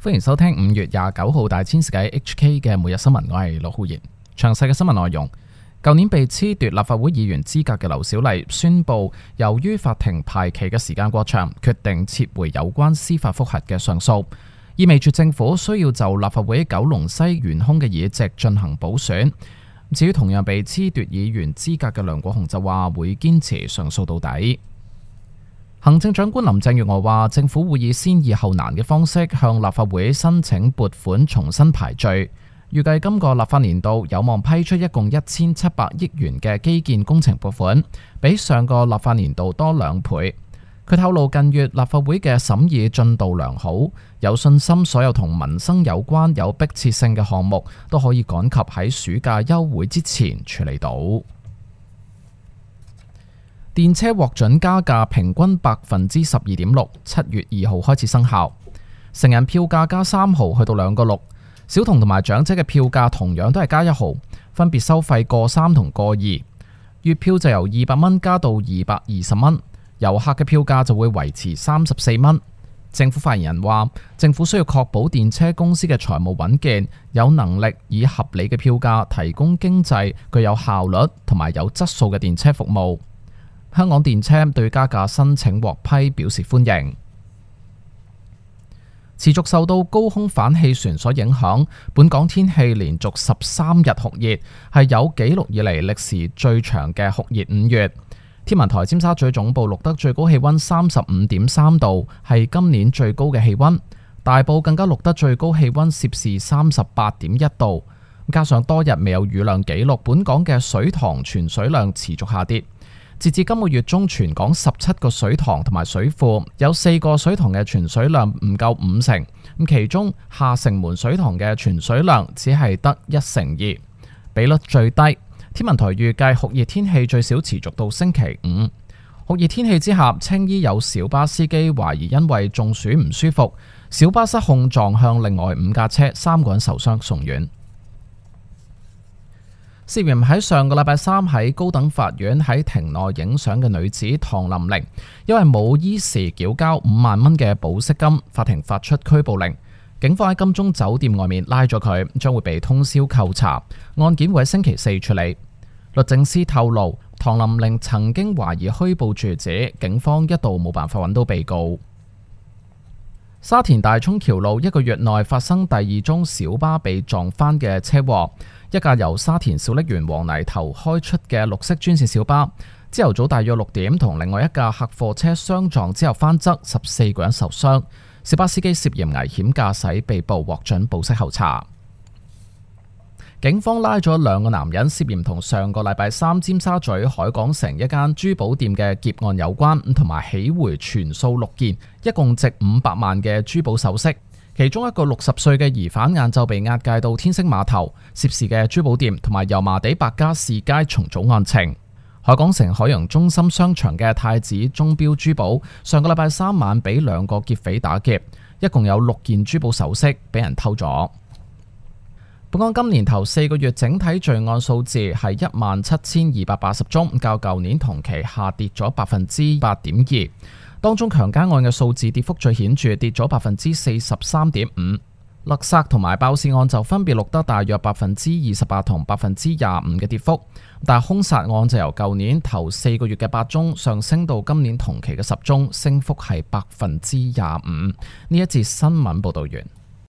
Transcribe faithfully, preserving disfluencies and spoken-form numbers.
歡迎收聽五月廿九號大千世界 H K 嘅每日新聞，我係陸浩然。詳細嘅新聞內容，舊年被褫奪立法會議員資格嘅劉小麗宣布，由於法庭排期嘅時間過長，決定撤回有關司法覆核嘅上訴，意味住政府需要就立法會九龍西懸空嘅議席進行補選。至於同樣被褫奪議員資格嘅梁國雄就話會堅持上訴到底。行政長官林鄭月娥話，政府會以先易後難嘅方式向立法會申請撥款重新排序，預計今個立法年度有望批出一共一千七百億元嘅基建工程撥款，比上個立法年度多兩倍。佢透露近月立法會嘅審議進度良好，有信心所有同民生有關有迫切性嘅項目都可以趕及喺暑假休會之前處理到。電車獲准加價平均百分之十二點六，七月二號開始生效。成人票價加三毫，去到兩個六；小童同埋長者嘅票價同樣都係加一毫，分別收費個三同個二。月票就由二百蚊加到二百二十蚊，遊客嘅票價就會維持三十四蚊。政府發言人話，政府需要確保電車公司嘅財務穩健，有能力以合理嘅票價提供經濟、具有效率同埋有質素嘅電車服務。香港電車對加價申請獲批表示歡迎。持續受到高空反氣旋所影響，本港天氣連續十三日酷熱，係有紀錄以嚟歷時最長嘅酷熱五月。天文台尖沙咀總部錄得最高氣溫三十五點三度，係今年最高嘅氣溫。大埔更加錄得最高氣溫攝氏三十八點一度。加上多日未有雨量紀錄，本港嘅水塘存水量持續下跌。截至今個月中，全港十七個水塘同埋水庫有四個水塘嘅存水量唔夠五成，咁其中下城門水塘嘅存水量只係得一成二，比率最低。天文台預計酷熱天氣最少持續到星期五。酷熱天氣之下，青衣有小巴司機懷疑因為中暑唔舒服，小巴失控撞向另外五架車，三個人受傷送院。涉嫌喺上個禮拜三喺高等法院喺庭內影相嘅女子唐琳玲，因為冇依時繳交五萬蚊嘅保釋金，法庭發出拘捕令。警方喺金鐘酒店外面拉咗佢，將會被通宵扣查。案件會喺星期四處理。律政司透露，唐琳玲曾經懷疑虛報住址，警方一度冇辦法揾到被告。沙田大涌橋路一個月內發生第二宗小巴被撞翻嘅車禍。一架由沙田小瀝源黃泥頭開出嘅綠色專線小巴，朝頭早大約六點同另外一架客貨車相撞之後翻側，十四個人受傷。小巴司機涉嫌危險駕駛被捕，獲准保釋候查。警方拉咗兩個男人，涉嫌同上個禮拜三尖沙咀海港城一間珠寶店嘅劫案有關，同埋起回全數六件，一共值五百萬嘅珠寶首飾。其中一個六十歲嘅疑犯晏晝被押解到天星碼頭，涉事嘅珠寶店同埋油麻地百家士街重組案情。海港城海洋中心商場嘅太子鐘錶珠寶上個禮拜三晚俾兩個劫匪打劫，一共有六件珠寶首飾俾人偷咗。本港今年頭四個月整體罪案數字係一萬七千二百八十宗，較舊年同期下跌咗百分之八點二。當中強姦案嘅數字跌幅最顯著，跌咗百分之四十三點五。勒殺同埋爆竊案就分別錄得大約百分之二十八同百分之廿五嘅跌幅，但係兇殺案就由舊年頭四個月嘅八宗上升到今年同期嘅十宗，升幅係百分之廿五。呢一節新聞報道完。